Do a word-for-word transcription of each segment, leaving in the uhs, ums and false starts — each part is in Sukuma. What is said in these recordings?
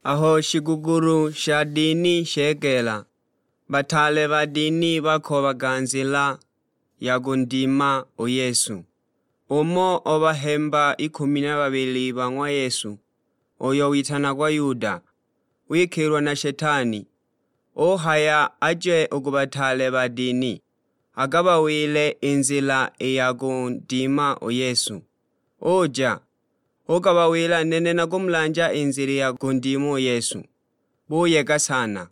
Aho shigugulu sha dini shegeela, bataale ba dini bakoobaga nzila ya kundima u Yesu. Umo o bahemba ikumi na babili ba ng'wa Yesu, uyo witanagwa Yuda, wikilwa na Shetani, uhaya aje u ku bataale ba dini, agabawile i nzila i ya kundima u Yesu. Uja, ugabawila, "Nene nakumulanja i nzila ya kundima u Yesu." Buyega sana,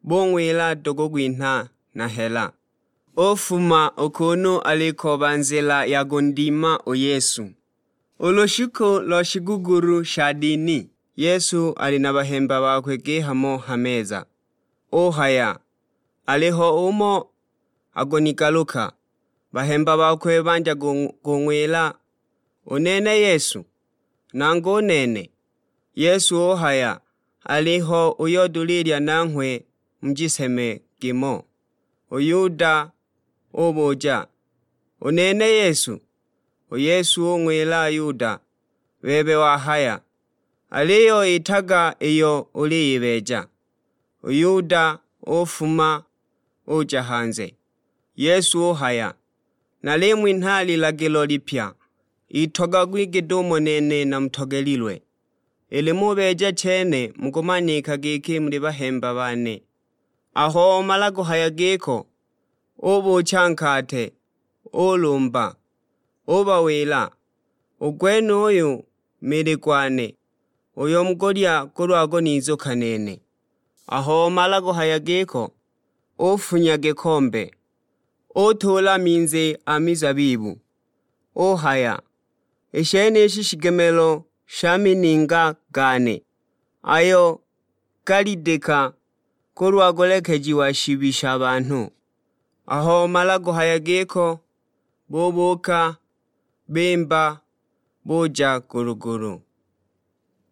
bung'wila, "Tukugwinha na hela." Ufuma u kunu alikooba nzila ya kundima u Yesu. U lushiku lo shigugulu sha dini, Yesu ali na bahemba bakwe gihamo ha meza. Uhaya, "Aliho umo akunigaluka." Bahemba bakwe bandya kung-, kung'wila, "U nene Yesu? Nangu u nene." Yesu uhaya, "Aliho uyo dulilya nanghwe mu jiseme gimo." U Yuda ubuja, "U nene Yesu?" U Yesu ung'wila Yuda, "Bebe wahaya, aliyo itaga iyo uliyibeeja." U Yuda ufuma uja hanze. Yesu uhaya, "Nalimwinha lilagilo lipya, itogagwi git'umo nene namutogelilwe. Ili mubeeja chene mukumanika giki muli bahemba bane." Aho omala kuhaya giko, ubuucha nkate, ulumba, ubawila, "U gwenuyu mili gwane, uyo mukulya kulwa kunizuka nene." Aho omala kuhaya giko, ufunya gikombe, utuula minzi a mizabibu, uhaya, "I shenishi shigemelo sha mininga gane, ayo galidika kulwa kulekejiwa shibi sha banhu." Aho omala kuhaya giko, bubuuka, bimba, buja ku lugulu.